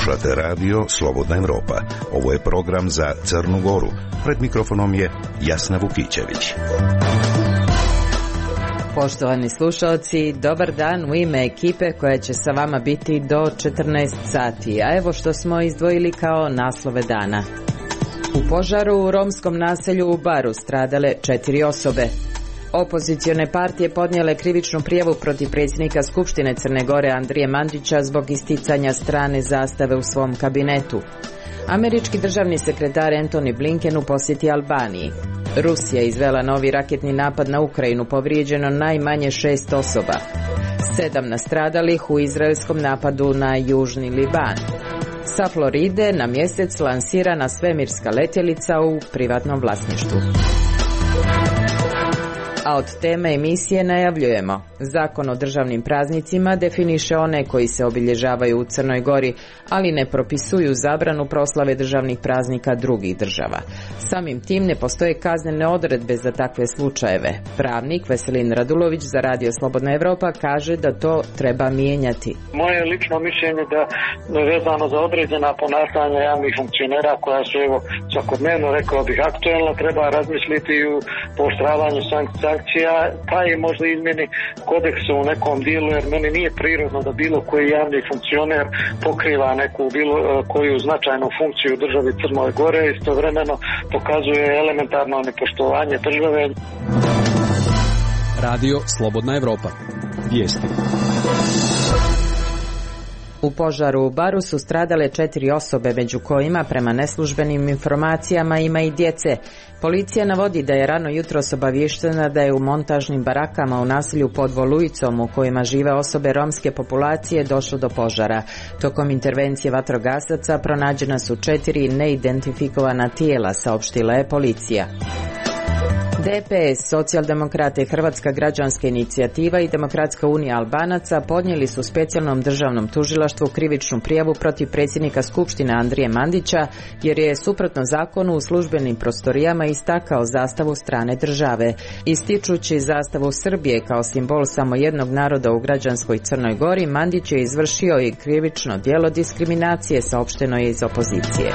Slušate radio Slobodna Evropa. Ovo je program za Crnu Goru. Pred mikrofonom je Jasna Vukićević. Poštovani slušalci, dobar dan u ime ekipe koja će sa vama biti do 14 sati. A evo što smo izdvojili kao naslove dana. U požaru u romskom naselju u Baru stradale 4 osobe. Opozicione partije podnijele krivičnu prijavu protiv predsjednika Skupštine Crne Gore Andrije Mandića zbog isticanja strane zastave u svom kabinetu. Američki državni sekretar Antony Blinken u posjeti Albaniji. Rusija izvela novi raketni napad na Ukrajinu, povrijeđeno najmanje 6 osoba. 7 nastradalih u izraelskom napadu na južni Liban. Sa Floride na mjesec lansirana svemirska letjelica u privatnom vlasništvu. A od teme emisije najavljujemo. Zakon o državnim praznicima definiše one koji se obilježavaju u Crnoj Gori, ali ne propisuju zabranu proslave državnih praznika drugih država. Samim tim ne postoje kaznene odredbe za takve slučajeve. Pravnik Veselin Radulović za Radio Slobodna Evropa kaže da to treba mijenjati. Moje lično mišljenje da vezano za određena ponašanja javnih funkcionera koja su svakodnevno, rekao bih, aktuelna, treba razmisliti u pooštravanju sankcija, pa i možda izmjeni kodeksa u nekom dijelu, jer meni nije prirodno da bilo koji javni funkcioner pokriva neku bilo koju značajnu funkciju u državi Crnoj Gore i istovremeno pokazuje elementarno nepoštovanje države. Radio Slobodna Evropa. Vijesti. U požaru u Baru su stradale 4 osobe, među kojima, prema neslužbenim informacijama, ima i djece. Policija navodi da je rano jutros obavještena da je u montažnim barakama u naselju pod Volujicom, u kojima žive osobe romske populacije, došlo do požara. Tokom intervencije vatrogasaca pronađena su 4 neidentifikovana tijela, saopštila je policija. DPS, Socijaldemokrate, Hrvatska građanska inicijativa i Demokratska unija Albanaca podnijeli su specijalnom državnom tužilaštvu krivičnu prijavu protiv predsjednika Skupštine Andrije Mandića, jer je suprotno zakonu u službenim prostorijama istakao zastavu strane države. Ističući zastavu Srbije kao simbol samo jednog naroda u građanskoj Crnoj Gori, Mandić je izvršio i krivično djelo diskriminacije, saopšteno je iz opozicije.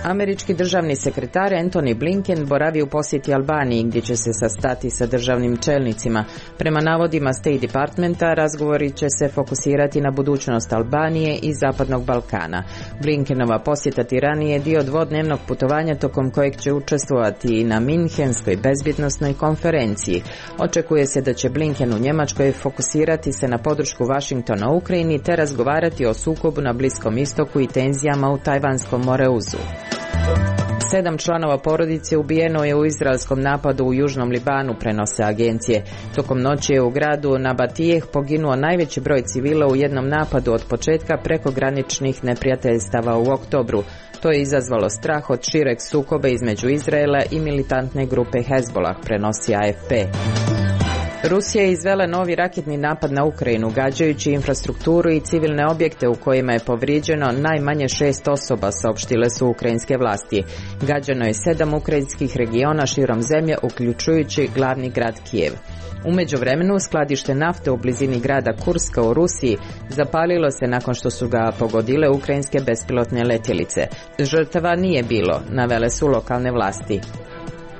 Američki državni sekretar Antony Blinken boravi u posjeti Albaniji, gdje će se sastati sa državnim čelnicima. Prema navodima State Departmenta, razgovori će se fokusirati na budućnost Albanije i Zapadnog Balkana. Blinkenova posjeta Tirani je dio dvodnevnog putovanja tokom kojeg će učestvovati i na Minhenskoj bezbjednosnoj konferenciji. Očekuje se da će Blinken u Njemačkoj fokusirati se na podršku Washingtona Ukrajini te razgovarati o sukobu na Bliskom istoku i tenzijama u Tajvanskom moreuzu. 7 članova porodice ubijeno je u izraelskom napadu u južnom Libanu, prenose agencije. Tokom noći je u gradu Nabatijeh poginuo najveći broj civila u jednom napadu od početka prekograničnih neprijateljstava u oktobru. To je izazvalo strah od šireg sukoba između Izraela i militantne grupe Hezbollah, prenosi AFP. Rusija je izvela novi raketni napad na Ukrajinu, gađajući infrastrukturu i civilne objekte u kojima je povrijeđeno najmanje 6 osoba, saopštile su ukrajinske vlasti. Gađano je 7 ukrajinskih regiona širom zemlje, uključujući glavni grad Kijev. U međuvremenu skladište nafte u blizini grada Kurska u Rusiji zapalilo se nakon što su ga pogodile ukrajinske bespilotne letjelice. Žrtava nije bilo, navele su lokalne vlasti.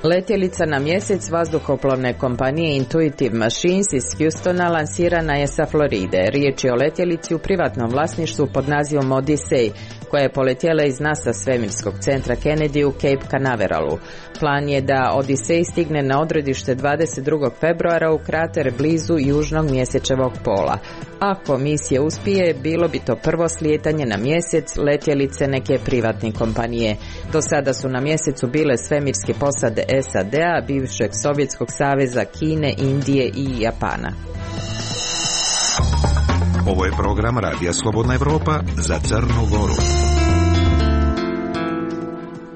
Letjelica na mjesec vazduhoplovne kompanije Intuitive Machines iz Houstona lansirana je sa Floride. Riječ je o letjelici u privatnom vlasništvu pod nazivom Odyssey, koja je poletjela iz NASA svemirskog centra Kennedy u Cape Canaveralu. Plan je da Odyssey stigne na odredište 22. februara u krater blizu južnog mjesečevog pola. Ako misija uspije, bilo bi to prvo slijetanje na mjesec letjelice neke privatne kompanije. Do sada su na mjesecu bile svemirske posade SAD-a, bivšeg Sovjetskog saveza, Kine, Indije i Japana. Ovo je program Radija Slobodna Evropa za Crnu Goru.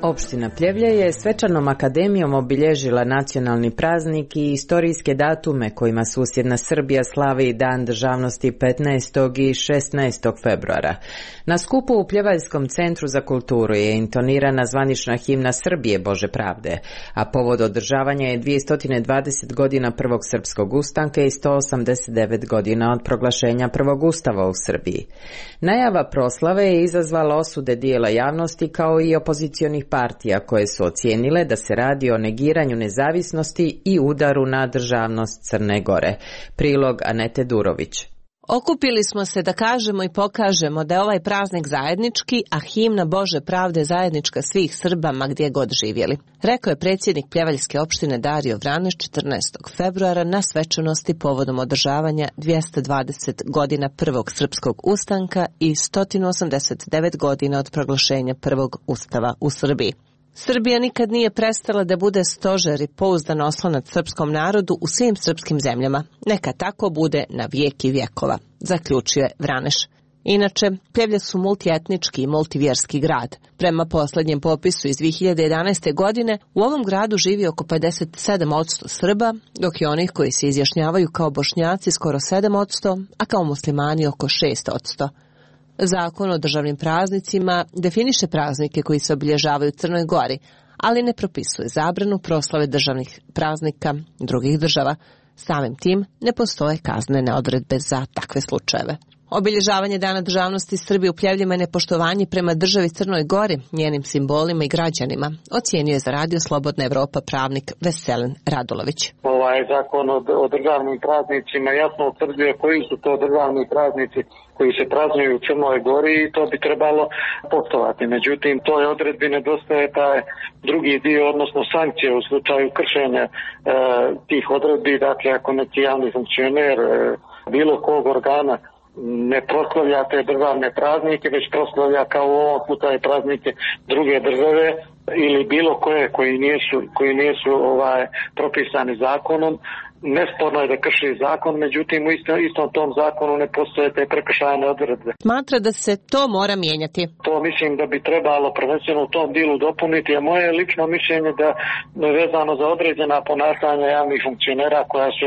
Opština Pljevlja je svečanom akademijom obilježila nacionalni praznik i istorijske datume kojima susjedna Srbija slavi Dan državnosti 15. i 16. februara. Na skupu u Pljevaljskom centru za kulturu je intonirana zvanična himna Srbije Bože pravde, a povod održavanja je 220 godina prvog srpskog ustanka i 189 godina od proglašenja prvog ustava u Srbiji. Najava proslave je izazvala osude dijela javnosti kao i opozicionih partija koje su ocijenile da se radi o negiranju nezavisnosti i udaru na državnost Crne Gore. Prilog Anete Durović. Okupili smo se da kažemo i pokažemo da je ovaj praznik zajednički, a himna Bože pravde zajednička svih Srba ma gdje god živjeli, rekao je predsjednik Pljevaljske opštine Dario Vraneš 14. februara na svečanosti povodom održavanja 220 godina prvog srpskog ustanka i 189 godina od proglašenja prvog ustava u Srbiji. Srbija nikad nije prestala da bude stožer i pouzdan oslonac srpskom narodu u svim srpskim zemljama. Neka tako bude na vijek i vjekova, zaključio je Vraneš. Inače, Pljevlja su multietnički i multivjerski grad. Prema posljednjem popisu iz 2011. godine u ovom gradu živi oko 57% Srba, dok je onih koji se izjašnjavaju kao Bošnjaci skoro 7%, a kao muslimani oko 6%. Zakon o državnim praznicima definiše praznike koji se obilježavaju u Crnoj Gori, ali ne propisuje zabranu proslave državnih praznika drugih država. Samim tim ne postoje kaznene odredbe za takve slučajeve. Obilježavanje Dana državnosti Srbije u Pljevljima je nepoštovanje prema državi Crnoj Gori, njenim simbolima i građanima, ocijenio je za Radio Slobodna Evropa pravnik Veselin Radulović. Ovaj zakon o državnim praznicima jasno utvrđuje koji su to državni praznici koji se praznuju u Crnoj Gori i to bi trebalo poštovati. Međutim, toj odredbi nedostaje taj drugi dio, odnosno sankcije u slučaju kršenja tih odredbi. Dakle, ako neki javni funkcioner bilo kog organa ne proslavlja te državne praznike, već proslavlja kao u ovom slučaju praznike druge države ili bilo koje koji nisu propisani zakonom, nesporno je da krši zakon, međutim u istom tom zakonu ne postoje te prekršajne odredbe. Smatra da se to mora mijenjati. To mislim da bi trebalo prvenstveno u tom dilu dopuniti, a moje lično mišljenje da vezano za određena ponašanja javnih funkcionera koja su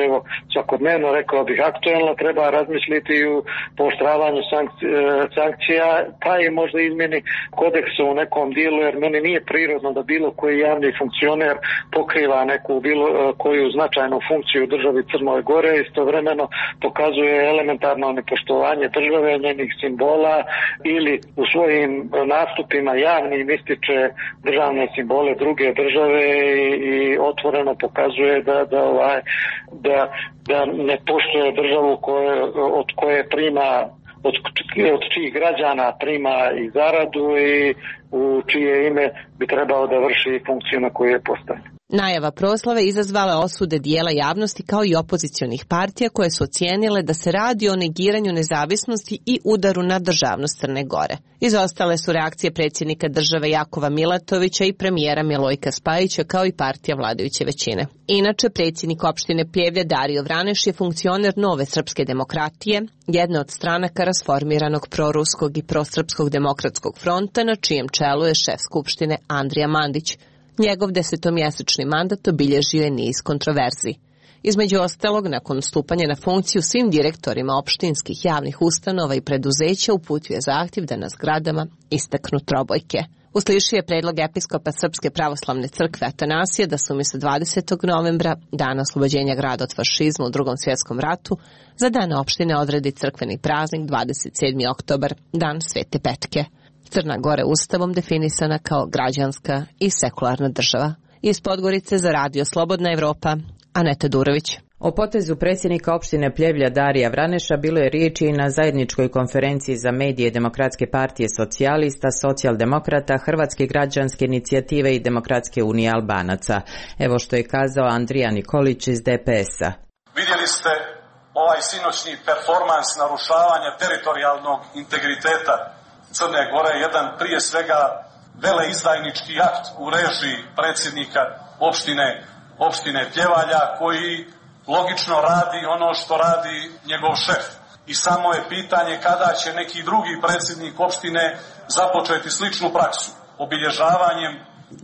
svakodnevno, rekao bih, aktuelna, treba razmisliti u pooštravanju sankcija, pa i možda izmjeni kodeksa u nekom dilu, jer meni nije prirodno da bilo koji javni funkcioner pokriva neku bilo koju značajnu funkciju državi Crnoj Gore, istovremeno pokazuje elementarno nepoštovanje države, njenih simbola ili u svojim nastupima javnim ističe državne simbole druge države i otvoreno pokazuje da ne poštuje državu od koje prima, od čijih građana prima i zaradu i u čije ime bi trebao da vrši funkciju na koju je postavljen. Najava proslave izazvala osude dijela javnosti kao i opozicionih partija koje su ocijenile da se radi o negiranju nezavisnosti i udaru na državnost Crne Gore. Izostale su reakcije predsjednika države Jakova Milatovića i premijera Milojka Spajića kao i partija vladajuće većine. Inače, predsjednik opštine Pljevlja Dario Vraneš je funkcioner Nove srpske demokratije, jedna od stranaka rasformiranog proruskog i prosrpskog demokratskog fronta na čijem čelu je šef skupštine Andrija Mandić. Njegov 10-mjesečni mandat obilježio je niz kontroverzi. Između ostalog, nakon stupanja na funkciju svim direktorima opštinskih javnih ustanova i preduzeća uputio je zahtjev da na zgradama istaknu trobojke. Uslišio je predlog episkopa Srpske pravoslavne crkve Atanasija da se umjesto 20. novembra, dana oslobođenja grada od fašizma u Drugom svjetskom ratu, za dan opštine odredi crkveni praznik 27. oktobar, dan Svete Petke. Crna Gora ustavom definisana kao građanska i sekularna država. Iz Podgorice za Radio Slobodna Evropa, Aneta Durović. O potezu predsjednika opštine Pljevlja Darija Vraneša bilo je riječi i na zajedničkoj konferenciji za medije Demokratske partije socijalista, socijaldemokrata, Hrvatske građanske inicijative i Demokratske unije Albanaca. Evo što je kazao Andrija Nikolić iz DPS-a. Vidjeli ste ovaj sinoćni performans narušavanja teritorijalnog integriteta Crne Gore, jedan prije svega veleizdajnički akt u režiji predsjednika opštine Pljevalja, koji logično radi ono što radi njegov šef. I samo je pitanje kada će neki drugi predsjednik opštine započeti sličnu praksu, obilježavanjem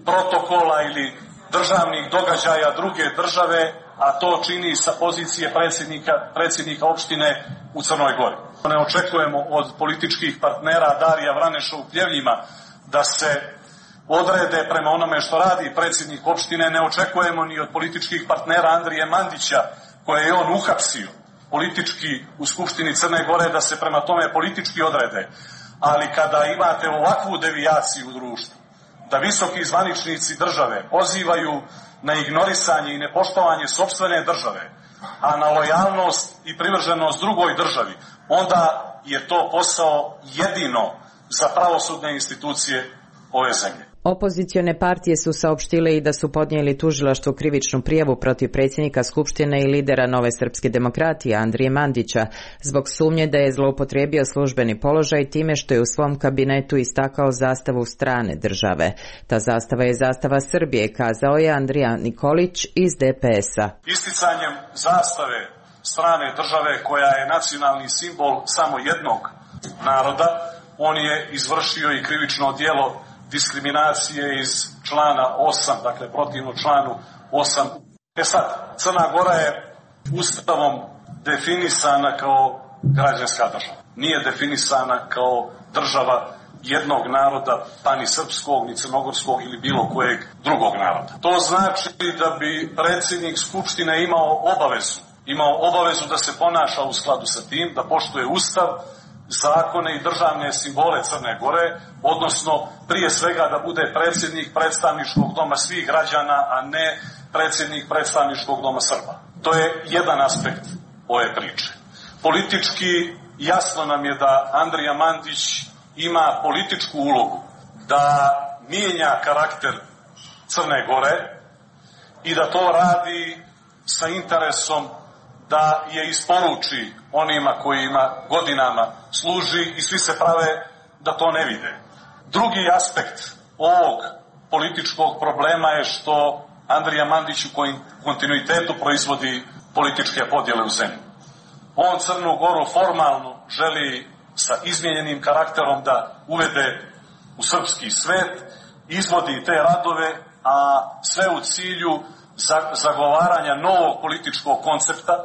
protokola ili državnih događaja druge države, a to čini sa pozicije predsjednika opštine u Crnoj Gori. Ne očekujemo od političkih partnera Darija Vraneša u Pljevljima da se odrede prema onome što radi predsjednik opštine, ne očekujemo ni od političkih partnera Andrije Mandića, koje je on uhapsio politički u Skupštini Crne Gore, da se prema tome politički odrede. Ali kada imate ovakvu devijaciju u društvu, da visoki zvaničnici države pozivaju na ignorisanje i nepoštovanje sopstvene države, a na lojalnost i privrženost drugoj državi, onda je to posao jedino za pravosudne institucije ove zemlje. Opozicione partije su saopštile i da su podnijeli tužilaštvu krivičnu prijavu protiv predsjednika Skupštine i lidera Nove srpske demokratije Andrije Mandića zbog sumnje da je zloupotrijebio službeni položaj time što je u svom kabinetu istakao zastavu strane države. Ta zastava je zastava Srbije, kazao je Andrija Nikolić iz DPS-a. Isticanjem zastave strane države, koja je nacionalni simbol samo jednog naroda, on je izvršio i krivično djelo diskriminacije iz člana 8, dakle protivno članu 8. Sad, Crna Gora je Ustavom definisana kao građanska država. Nije definisana kao država jednog naroda, pa ni srpskog, ni crnogorskog ili bilo kojeg drugog naroda. To znači da bi predsjednik Skupštine imao obavezu da se ponaša u skladu sa tim, da poštuje Ustav, zakone i državne simbole Crne Gore, odnosno prije svega da bude predsjednik predstavničkog doma svih građana, a ne predsjednik predstavničkog doma Srba. To je jedan aspekt ove priče. Politički jasno nam je da Andrija Mandić ima političku ulogu da mijenja karakter Crne Gore i da to radi sa interesom da je isporuči onima kojima godinama služi i svi se prave da to ne vide. Drugi aspekt ovog političkog problema je što Andrija Mandić u kontinuitetu proizvodi političke podjele u zemlji. On Crnu Goru formalno želi sa izmijenjenim karakterom da uvede u srpski svet, izvodi te radove, a sve u cilju zagovaranja novog političkog koncepta,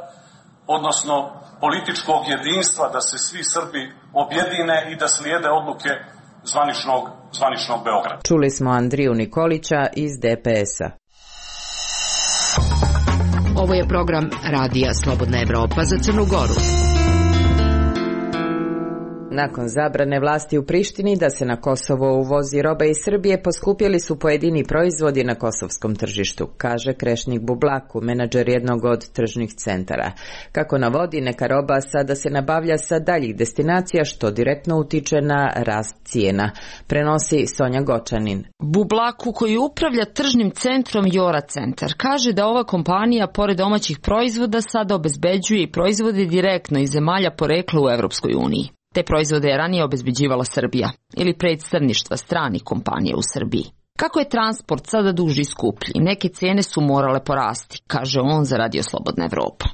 odnosno političkog jedinstva, da se svi Srbi objedine i da slijede odluke zvaničnog Beograda. Čuli smo Andriju Nikolića iz DPS-a. Ovo je program Radija Slobodna Evropa za Crnu Goru. Nakon zabrane vlasti u Prištini da se na Kosovo uvozi roba iz Srbije, poskupjeli su pojedini proizvodi na kosovskom tržištu, kaže Krešnik Bublaku, menadžer jednog od tržnih centara. Kako navodi, neka roba sada se nabavlja sa daljih destinacija, što direktno utiče na rast cijena. Prenosi Sonja Gočanin. Bublaku, koji upravlja tržnim centrom Jora Centar, kaže da ova kompanija, pored domaćih proizvoda, sada obezbeđuje i proizvode direktno iz zemalja porekla u Evropskoj uniji. Te proizvode je ranije obezbeđivala Srbija ili predstavništva stranih kompanija u Srbiji. Kako je transport sada duži i skuplji, neke cijene su morale porasti, kaže on za Radio Slobodna Evropa.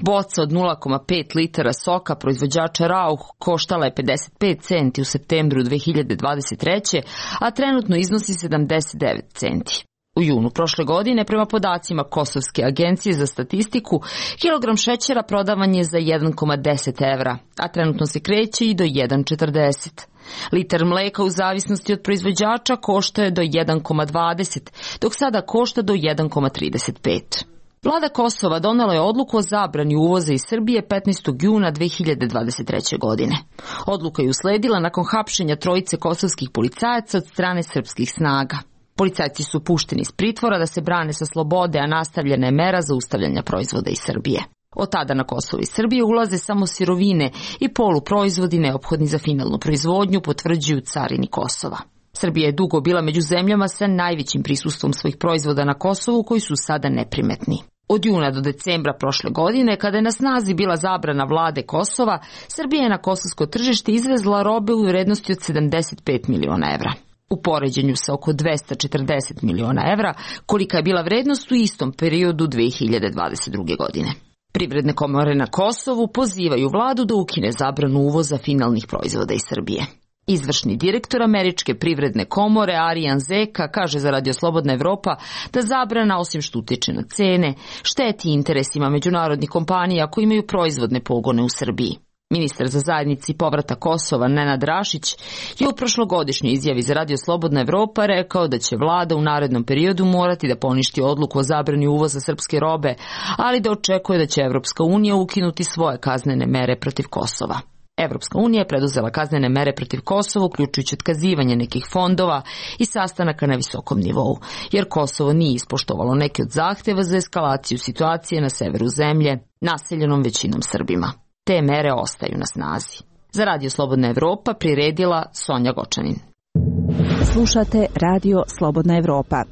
Boca od 0,5 litara soka proizvođača Rauch koštala je 55 centi u septembru 2023. a trenutno iznosi 79 centi. U junu prošle godine, prema podacima Kosovske agencije za statistiku, kilogram šećera prodavan je za 1,10 evra, a trenutno se kreće i do 1,40. Litar mleka u zavisnosti od proizvođača košta je do 1,20, dok sada košta do 1,35. Vlada Kosova donela je odluku o zabrani uvoza iz Srbije 15. juna 2023. godine. Odluka je usledila nakon hapšenja trojice kosovskih policajaca od strane srpskih snaga. Policajci su pušteni iz pritvora da se brane sa slobode, a nastavljena je mera zaustavljanja proizvoda iz Srbije. Od tada na Kosovo iz Srbije ulaze samo sirovine i poluproizvodi neophodni za finalnu proizvodnju, potvrđuju carini Kosova. Srbija je dugo bila među zemljama sa najvećim prisustvom svojih proizvoda na Kosovu koji su sada neprimetni. Od juna do decembra prošle godine, kada je na snazi bila zabrana vlade Kosova, Srbija je na kosovsko tržište izvezla robe u vrednosti od 75 miliona evra. U poređenju sa oko 240 miliona evra, kolika je bila vrednost u istom periodu 2022. godine. Privredne komore na Kosovu pozivaju vladu da ukine zabranu uvoza finalnih proizvoda iz Srbije. Izvršni direktor Američke privredne komore Arijan Zeka kaže za Radio Slobodna Evropa da zabrana, osim što utiče na cene, šteti interesima međunarodnih kompanija koji imaju proizvodne pogone u Srbiji. Ministar za zajednici povrata Kosova Nenad Rašić je u prošlogodišnjoj izjavi za Radio Slobodna Evropa rekao da će vlada u narednom periodu morati da poništi odluku o zabrani uvoza srpske robe, ali da očekuje da će Evropska unija ukinuti svoje kaznene mere protiv Kosova. Evropska unija je preduzela kaznene mere protiv Kosova, uključujući otkazivanje nekih fondova i sastanaka na visokom nivou, jer Kosovo nije ispoštovalo neke od zahteva za eskalaciju situacije na severu zemlje, naseljenom većinom Srbima. Te mere ostaju na snazi. Za Radio Slobodna Evropa priredila Sonja Gočanin. Slušate Radio Slobodna Evropa.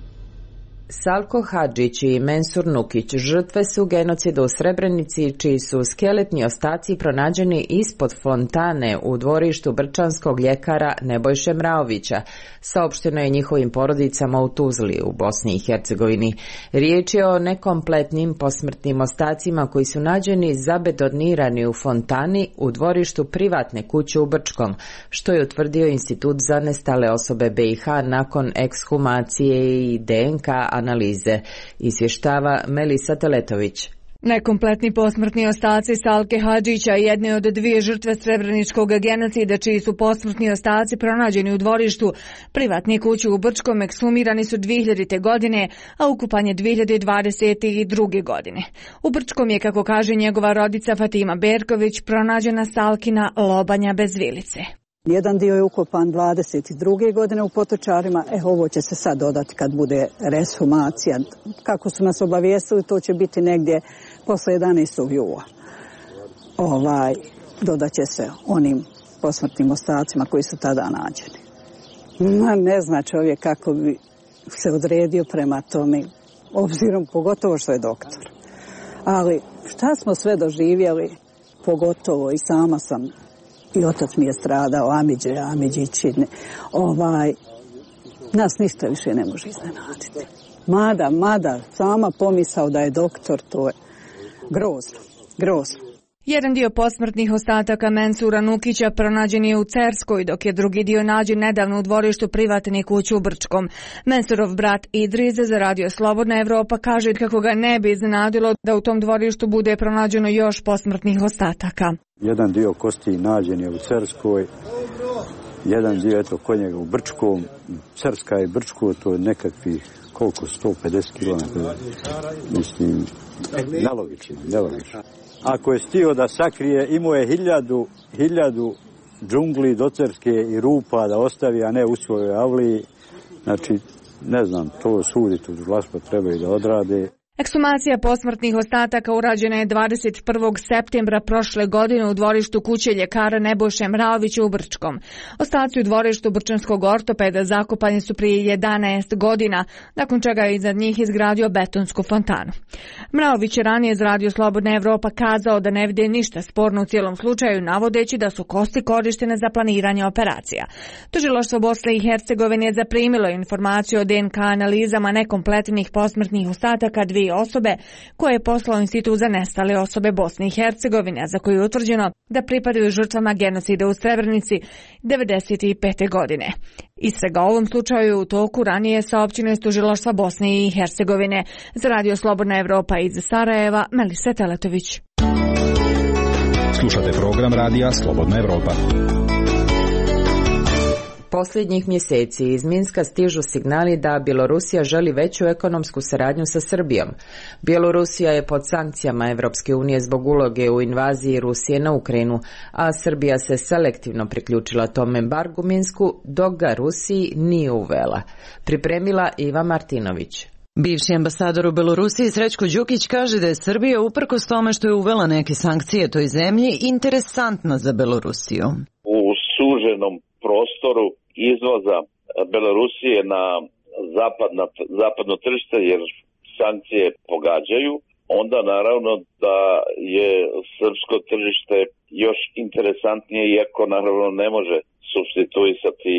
Salko Hadžić i Mensur Nukić žrtve su genocida u Srebrenici, čiji su skeletni ostaci pronađeni ispod fontane u dvorištu brčanskog ljekara Nebojše Mraovića, saopšteno je njihovim porodicama u Tuzli u Bosni i Hercegovini. Riječ je o nekompletnim posmrtnim ostacima koji su nađeni zabetonirani u fontani u dvorištu privatne kuće u Brčkom, što je utvrdio Institut za nestale osobe BiH nakon ekshumacije i DNK analize, izvještava Melisa Teletović. Nekompletni posmrtni ostaci Salke Hadžića, jedne od dvije žrtve srebreničkog genocida, čiji su posmrtni ostaci pronađeni u dvorištu privatne kuće u Brčkom, ekshumirani su 2000. godine, a ukupan je 2022. godine. U Brčkom je, kako kaže njegova rodica Fatima Berković, pronađena Salkina lobanja bez vilice. Jedan dio je ukopan 22. godine u Potočarima, ovo će se sad dodati kad bude reshumacija. Kako su nas obavijestili, to će biti negdje posle 11. jula. Dodat će se onim posmrtnim ostacima koji su tada nađeni. Ne zna čovjek kako bi se odredio prema tome, obzirom pogotovo što je doktor. Ali šta smo sve doživjeli, pogotovo i sama sam, i otac mi je stradao, Amidžići. Nas ništa više ne može iznenaditi. Mada, sama pomisao da je doktor, to je grozno. Jedan dio posmrtnih ostataka Mensura Nukića pronađen je u Cerskoj, dok je drugi dio nađen nedavno u dvorištu privatne kuće u Brčkom. Mensurov brat Idris za Radio Slobodna Evropa kaže kako ga ne bi iznenadilo da u tom dvorištu bude pronađeno još posmrtnih ostataka. Jedan dio kosti nađen je u Cerskoj, jedan dio kod njega u Brčkom. Cerska i Brčko, to je nekakvih 150 km. Mislim, nelogično. Ako je stio da sakrije, imao je hiljadu džungli do Cerske i rupa da ostavi, a ne u svojoj avliji. Znači, ne znam, to sudi tužilaštvo trebaju da odrade. Ekshumacija posmrtnih ostataka urađena je 21. septembra prošle godine u dvorištu kuće ljekara Nebojše Mraovića u Brčkom. Ostaci u dvorištu brčanskog ortopeda zakopani su prije 11 godina, nakon čega je iznad njih izgradio betonsku fontanu. Mraović je ranije za Radio Slobodna Evropa kazao da ne vide ništa sporno u cijelom slučaju, navodeći da su kosti korištene za planiranje operacija. Tužilaštvo Bosne i Hercegovine je zaprimilo informaciju o DNK analizama nekompletnih posmrtnih ostataka dvije osobe koje je poslao Institut za nestale osobe Bosne i Hercegovine, za koju je utvrđeno da pripadaju žrtvama genocida u Srebrenici 1995. godine. Istraga u ovom slučaju u toku, ranije saopćeno iz tužilaštva Bosne i Hercegovine. Za Radio Slobodna Evropa iz Sarajeva, Melisa Teletović. Slušate program Radija Slobodna Evropa. Posljednjih mjeseci iz Minska stižu signali da Bjelorusija želi veću ekonomsku saradnju sa Srbijom. Bjelorusija je pod sankcijama Evropske unije zbog uloge u invaziji Rusije na Ukrajinu, a Srbija se selektivno priključila tom embargu Minsku, dok ga Rusiji nije uvela. Pripremila Iva Martinović. Bivši ambasador u Belorusiji Srećko Đukić kaže da je Srbija, uprkos tome što je uvela neke sankcije toj zemlji, interesantna za Belorusiju. U suženom prostoru izvoza Belorusije na zapadno tržište, jer sankcije pogađaju, onda naravno da je srpsko tržište još interesantnije, iako naravno ne može supstituisati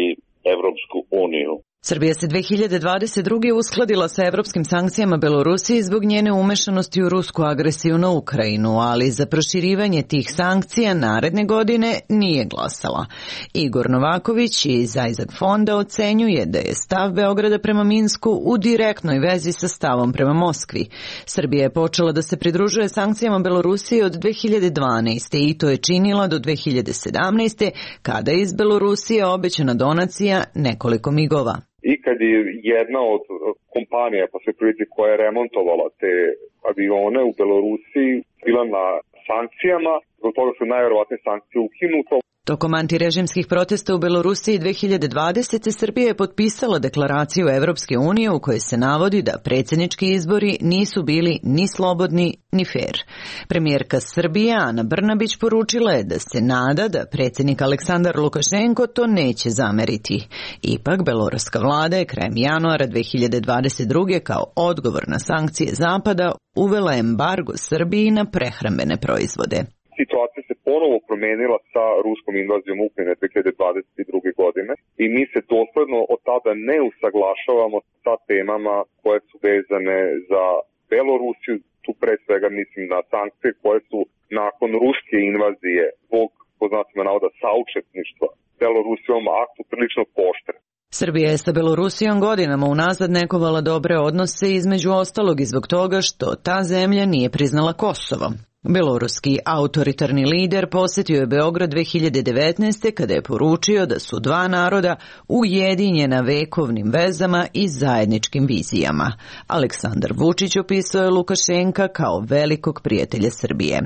Evropsku uniju. Srbija se 2022. uskladila sa evropskim sankcijama Belorusiji zbog njene umešanosti u rusku agresiju na Ukrajinu, ali za proširivanje tih sankcija naredne godine nije glasala. Igor Novaković iz Isaac fonda ocenjuje da je stav Beograda prema Minsku u direktnoj vezi sa stavom prema Moskvi. Srbija je počela da se pridružuje sankcijama Belorusije od 2012. i to je činila do 2017. kada je iz Belorusije obećana donacija nekoliko migova. I kad je jedna od kompanija, pa se priliči koja je remontovala te avione u Belorusiji, bila na sankcijama, zbog toga su najverovatnije sankcije ukinute. Tokom antirežimskih protesta u Belorusiji 2020. Srbija je potpisala deklaraciju Evropske unije u kojoj se navodi da predsjednički izbori nisu bili ni slobodni ni fer. Premijerka Srbije Ana Brnabić poručila je da se nada da predsjednik Aleksandar Lukašenko to neće zameriti. Ipak, beloruska vlada je krajem januara 2022. kao odgovor na sankcije Zapada uvela embargo Srbiji na prehrambene proizvode. Situacija se ponovo promenila sa ruskom invazijom Ukrajine 2022. godine i mi se dosledno od tada ne usaglašavamo sa temama koje su vezane za Belorusiju, tu pre svega mislim na sankcije koje su nakon ruske invazije zbog, po znacima navoda, saučesništva Belorusijom aktu prilično poštre. Srbija je sa Belorusijom godinama unazad negovala dobre odnose, između ostalog i zbog toga što ta zemlja nije priznala Kosovo. Beloruski autoritarni lider posjetio je Beograd 2019. kada je poručio da su dva naroda ujedinjena vekovnim vezama i zajedničkim vizijama. Aleksandar Vučić opisao je Lukašenka kao velikog prijatelja Srbije.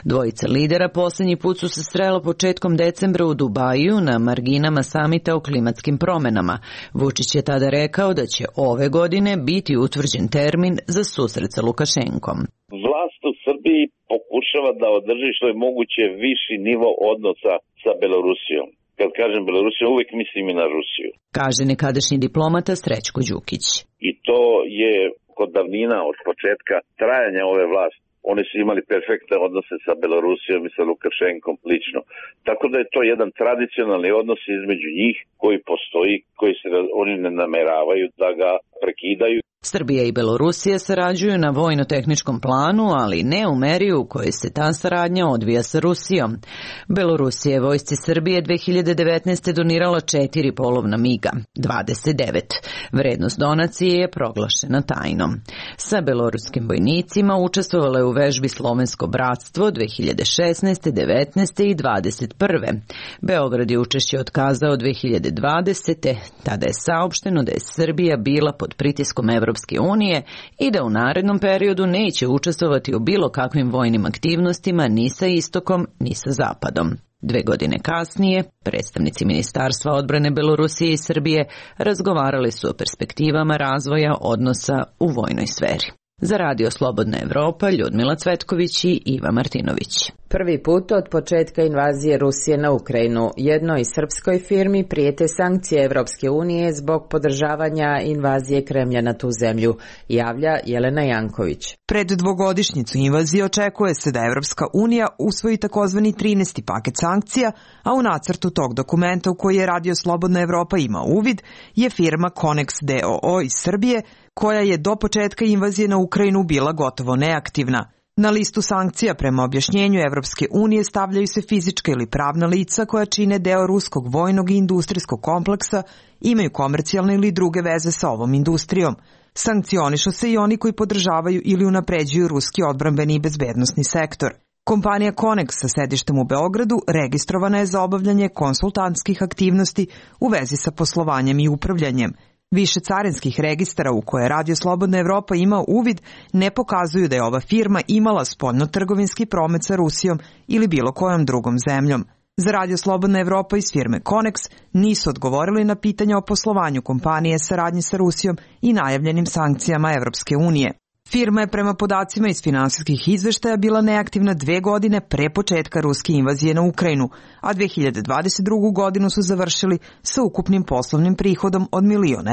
Dvojica lidera posljednji put su se srela početkom decembra u Dubaju na marginama samita o klimatskim promjenama. Vučić je tada rekao da će ove godine biti utvrđen termin za susret sa Lukašenkom. Vlast u Srbiji pokušava da održi što je moguće viši nivo odnosa sa Belorusijom. Kad kažem Belorusija, uvijek mislim i na Rusiju. Kaže nekadašnji diplomata Srećko Đukić. I to je kod davnina, od početka trajanja ove vlasti. Oni su imali perfektne odnose sa Belorusijom i sa Lukašenkom lično. Tako da je to jedan tradicionalni odnos između njih koji postoji, koji se oni ne nameravaju da ga prekidaju. Srbija i Belorusija sarađuju na vojno-tehničkom planu, ali ne u meri u kojoj se ta saradnja odvija sa Rusijom. Belorusija je vojsci Srbije 2019. donirala 4 polovna miga, 29. Vrednost donacije je proglašena tajnom. Sa beloruskim vojnicima učestvovalo je u vežbi Slovensko bratstvo 2016., 19. i 21. Beograd je učešće otkazao 2020. Tada je saopšteno da je Srbija bila pod pritiskom Evropske unije i da u narednom periodu neće učestvovati u bilo kakvim vojnim aktivnostima ni sa istokom ni sa zapadom. 2 godine kasnije, predstavnici Ministarstva odbrane Belorusije i Srbije razgovarali su o perspektivama razvoja odnosa u vojnoj sferi. Za Radio Slobodna Evropa, Ljudmila Cvetković i Iva Martinović. Prvi put od početka invazije Rusije na Ukrajinu jednoj srpskoj firmi prijete sankcije Evropske unije zbog podržavanja invazije Kremlja na tu zemlju, javlja Jelena Janković. Pred dvogodišnjicu invazije očekuje se da Evropska unija usvoji takozvani 13. paket sankcija, a u nacrtu tog dokumenta u koji je Radio Slobodna Evropa ima uvid je firma Konex DOO iz Srbije, koja je do početka invazije na Ukrajinu bila gotovo neaktivna. Na listu sankcija prema objašnjenju Evropske unije stavljaju se fizička ili pravna lica koja čine deo ruskog vojnog i industrijskog kompleksa, imaju komercijalne ili druge veze sa ovom industrijom. Sankcionišu se i oni koji podržavaju ili unapređuju ruski odbrambeni i bezbednosni sektor. Kompanija Konex sa sedištem u Beogradu registrovana je za obavljanje konsultantskih aktivnosti u vezi sa poslovanjem i upravljanjem. Više carinskih registara u koje Radio Slobodna Evropa ima uvid ne pokazuju da je ova firma imala spoljno-trgovinski promet sa Rusijom ili bilo kojom drugom zemljom. Za Radio Slobodna Evropa iz firme Konex nisu odgovorili na pitanja o poslovanju kompanije saradnje sa Rusijom i najavljenim sankcijama Evropske unije. Firma je prema podacima iz finansijskih izveštaja bila neaktivna 2 godine pre početka ruske invazije na Ukrajinu, a 2022. godinu su završili sa ukupnim poslovnim prihodom od $1 milion.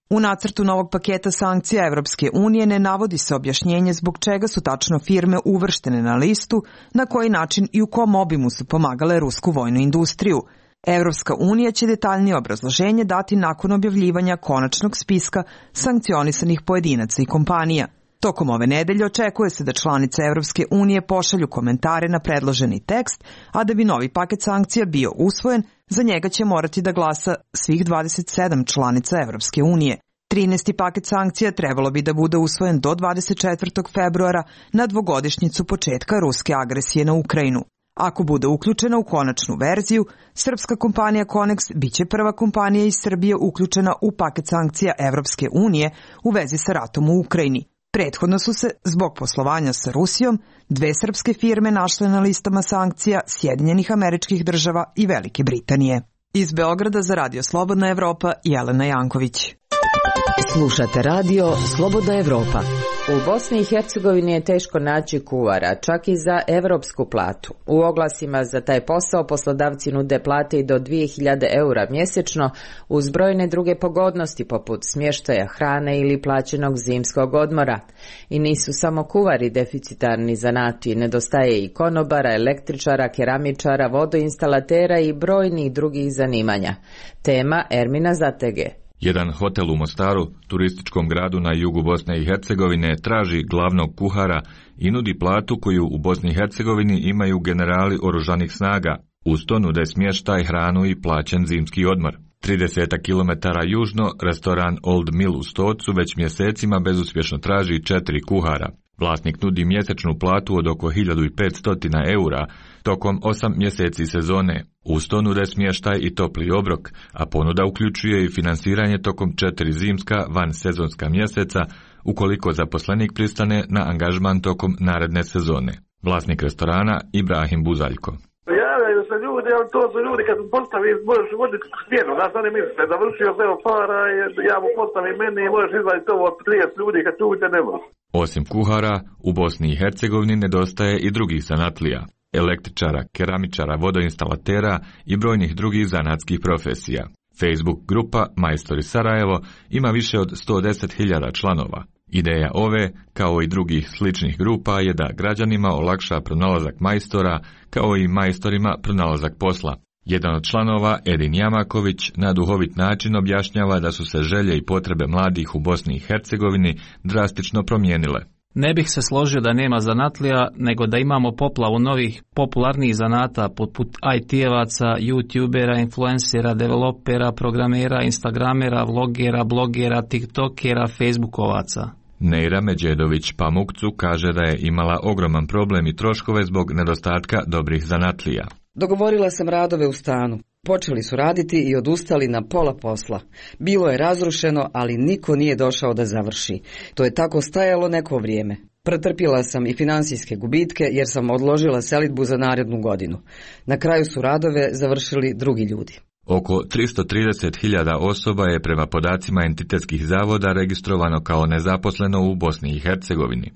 U nacrtu novog paketa sankcija Evropske unije ne navodi se objašnjenje zbog čega su tačno firme uvrštene na listu, na koji način i u kom obimu su pomagale rusku vojnu industriju. Evropska unija će detaljnije obrazloženje dati nakon objavljivanja konačnog spiska sankcionisanih pojedinaca i kompanija. Tokom ove nedelje očekuje se da članice Evropske unije pošalju komentare na predloženi tekst, a da bi novi paket sankcija bio usvojen, za njega će morati da glasa svih 27 članica Evropske unije. 13. paket sankcija trebalo bi da bude usvojen do 24. februara na dvogodišnjicu početka ruske agresije na Ukrajinu. Ako bude uključena u konačnu verziju, srpska kompanija Conex biće prva kompanija iz Srbije uključena u paket sankcija Evropske unije u vezi sa ratom u Ukrajini. Prethodno su se, zbog poslovanja sa Rusijom, dve srpske firme našle na listama sankcija Sjedinjenih Američkih Država i Velike Britanije. Iz Beograda za Radio Slobodna Evropa, Jelena Janković. Slušate radio Slobodna Evropa. U Bosni i Hercegovini je teško naći kuvara, čak i za evropsku platu. U oglasima za taj posao poslodavci nude plate i do 2000 eura mjesečno uz brojne druge pogodnosti poput smještaja, hrane ili plaćenog zimskog odmora. I nisu samo kuvari deficitarni zanati, nedostaje i konobara, električara, keramičara, vodoinstalatera i brojnih drugih zanimanja. Tema Ermina Zatege. Jedan hotel u Mostaru, turističkom gradu na jugu Bosne i Hercegovine, traži glavnog kuhara i nudi platu koju u Bosni i Hercegovini imaju generali oružanih snaga. Uz to nude smještaj, hranu i plaćen zimski odmor. 30 km južno, restoran Old Mill u Stocu već mjesecima bezuspješno traži 4 kuhara. Vlasnik nudi mjesečnu platu od oko 1500 eura tokom 8 mjeseci sezone. Uz to nude smještaj i topli obrok, a ponuda uključuje i finansiranje tokom 4 zimska vansezonska mjeseca ukoliko zaposlenik pristane na angažman tokom naredne sezone. Vlasnik restorana Ibrahim Buzaljko. Javljaju se ljudi, ali to su ljudi kad postavi, možeš voditi smjenu, znaš, oni misle, završio se para, ja mu postavim meni i možeš izvaditi ovo od 30 ljudi kad tu ne može. Osim kuhara, u Bosni i Hercegovini nedostaje i drugih zanatlija, električara, keramičara, vodoinstalatera i brojnih drugih zanatskih profesija. Facebook grupa Majstori Sarajevo ima više od 110.000 članova. Ideja ove, kao i drugih sličnih grupa, je da građanima olakša pronalazak majstora, kao i majstorima pronalazak posla. Jedan od članova, Edin Jamaković, na duhovit način objašnjava da su se želje i potrebe mladih u Bosni i Hercegovini drastično promijenile. Ne bih se složio da nema zanatlija, nego da imamo poplavu novih popularnih zanata poput IT-evaca, YouTubera, influencera, developera, programera, instagramera, vlogera, blogera, tiktokera, facebookovaca. Neira Međedović Pamukcu kaže da je imala ogroman problem i troškove zbog nedostatka dobrih zanatlija. Dogovorila sam radove u stanu. Počeli su raditi i odustali na pola posla. Bilo je razrušeno, ali niko nije došao da završi. To je tako stajalo neko vrijeme. Pretrpjela sam i finansijske gubitke jer sam odložila selidbu za narednu godinu. Na kraju su radove završili drugi ljudi. Oko 330.000 osoba je prema podacima entitetskih zavoda registrovano kao nezaposleno u Bosni i Hercegovini.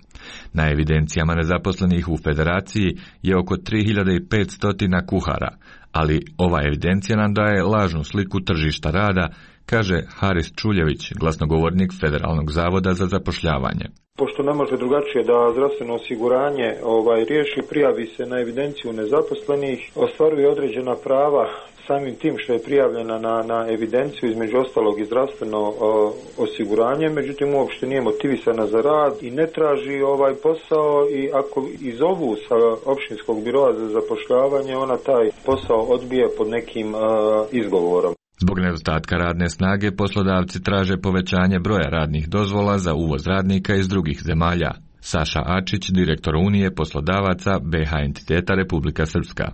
Na evidencijama nezaposlenih u Federaciji je oko 3500 kuhara, ali ova evidencija nam daje lažnu sliku tržišta rada, kaže Haris Čuljević, glasnogovornik Federalnog zavoda za zapošljavanje. Pošto ne može drugačije da zdravstveno osiguranje riješi, prijavi se na evidenciju nezaposlenih, ostvaruje određena prava samim tim što je prijavljena na evidenciju, između ostalog i zdravstveno osiguranje, međutim uopšte nije motivisana za rad i ne traži posao, i ako izovu sa općinskog biroa za zapošljavanje, ona taj posao odbije pod nekim izgovorom. Zbog nedostatka radne snage poslodavci traže povećanje broja radnih dozvola za uvoz radnika iz drugih zemalja. Saša Ačić, direktor Unije poslodavaca BH entiteta Republika Srpska.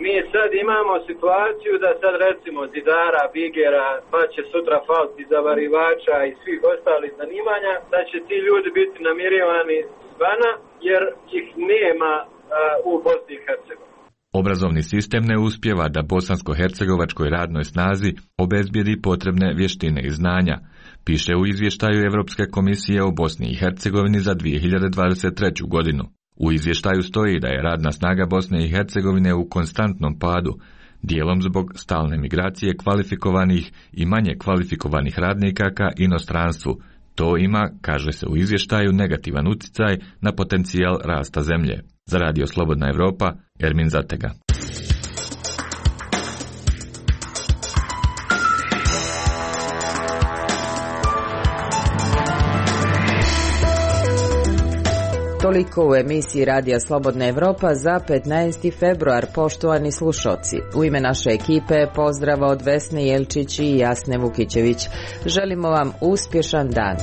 Mi sad imamo situaciju da sad recimo zidara, bigera, pa će sutra falti zavarivača i svih ostalih zanimanja, da će ti ljudi biti namirivani zvana jer ih nema u Bosni i Hercegovini. Obrazovni sistem ne uspijeva da bosansko-hercegovačkoj radnoj snazi obezbijedi potrebne vještine i znanja, piše u izvještaju Europske komisije o Bosni i Hercegovini za 2023. godinu. U izvještaju stoji da je radna snaga Bosne i Hercegovine u konstantnom padu, dijelom zbog stalne migracije kvalifikovanih i manje kvalifikovanih radnika ka inostranstvu. To ima, kaže se u izvještaju, negativan utjecaj na potencijal rasta zemlje. Za Radio Slobodna Evropa, Ermin Zatega. Toliko u emisiji Radija Slobodna Evropa za 15. februar, poštovani slušoci. U ime naše ekipe pozdrava od Vesne Jelčić i Jasne Vukićević. Želimo vam uspješan dan.